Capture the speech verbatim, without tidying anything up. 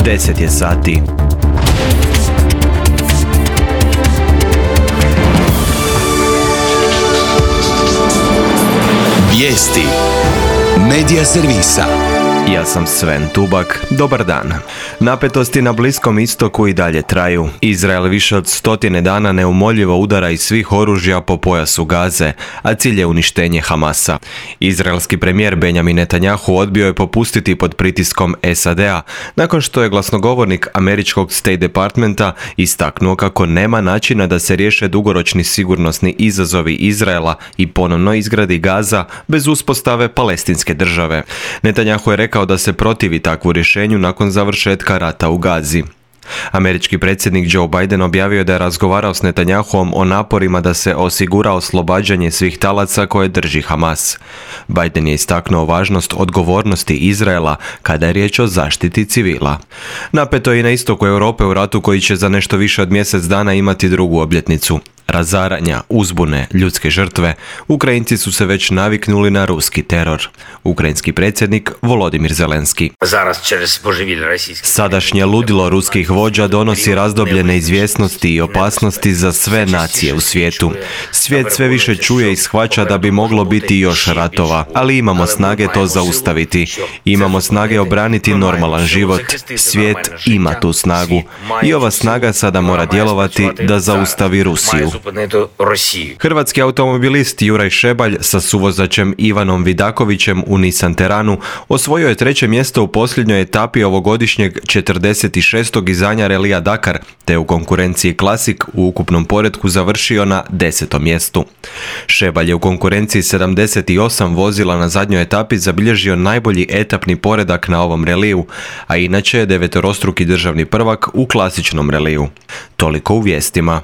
deset je sati. Vijesti Medija servisa. Ja sam Sven Tubak, dobar dan. Napetosti na Bliskom istoku i dalje traju. Izrael više od stotine dana neumoljivo udara iz svih oružja po pojasu Gaze, a cilj je uništenje Hamasa. Izraelski premijer Benjamin Netanjahu odbio je popustiti pod pritiskom S A D a, nakon što je glasnogovornik američkog State Departmenta istaknuo kako nema načina da se riješe dugoročni sigurnosni izazovi Izraela i ponovno izgradi Gaza bez uspostave palestinske države. Netanjahu je rekao da se protivi takvu rješenju nakon završetka rata u Gazi. Američki predsjednik Joe Biden objavio da je razgovarao s Netanjahuom o naporima da se osigura oslobađanje svih talaca koje drži Hamas. Biden je istaknuo važnost odgovornosti Izraela kada je riječ o zaštiti civila. Napeto je i na istoku Europe u ratu koji će za nešto više od mjesec dana imati drugu obljetnicu. Razaranja, uzbune, ljudske žrtve, Ukrajinci su se već naviknuli na ruski teror. Ukrajinski predsjednik Volodimir Zelenski. Sadašnje ludilo ruskih vođa donosi razdoblje neizvjesnosti i opasnosti za sve nacije u svijetu. Svijet sve više čuje i shvaća da bi moglo biti još ratova, ali imamo snage to zaustaviti. Imamo snage obraniti normalan život. Svijet ima tu snagu. I ova snaga sada mora djelovati da zaustavi Rusiju. Hrvatski automobilist Juraj Šebalj sa suvozačem Ivanom Vidakovićem u Nissan Teranu osvojio je treće mjesto u posljednjoj etapi ovogodišnjeg četrdeset šestog izdanja relija Dakar, te u konkurenciji Classic u ukupnom poretku završio na desetom mjestu. Šebalj je u konkurenciji sedamdeset osam vozila na zadnjoj etapi zabilježio najbolji etapni poredak na ovom reliju, a inače je devetorostruki državni prvak u klasičnom reliju. Toliko u vijestima.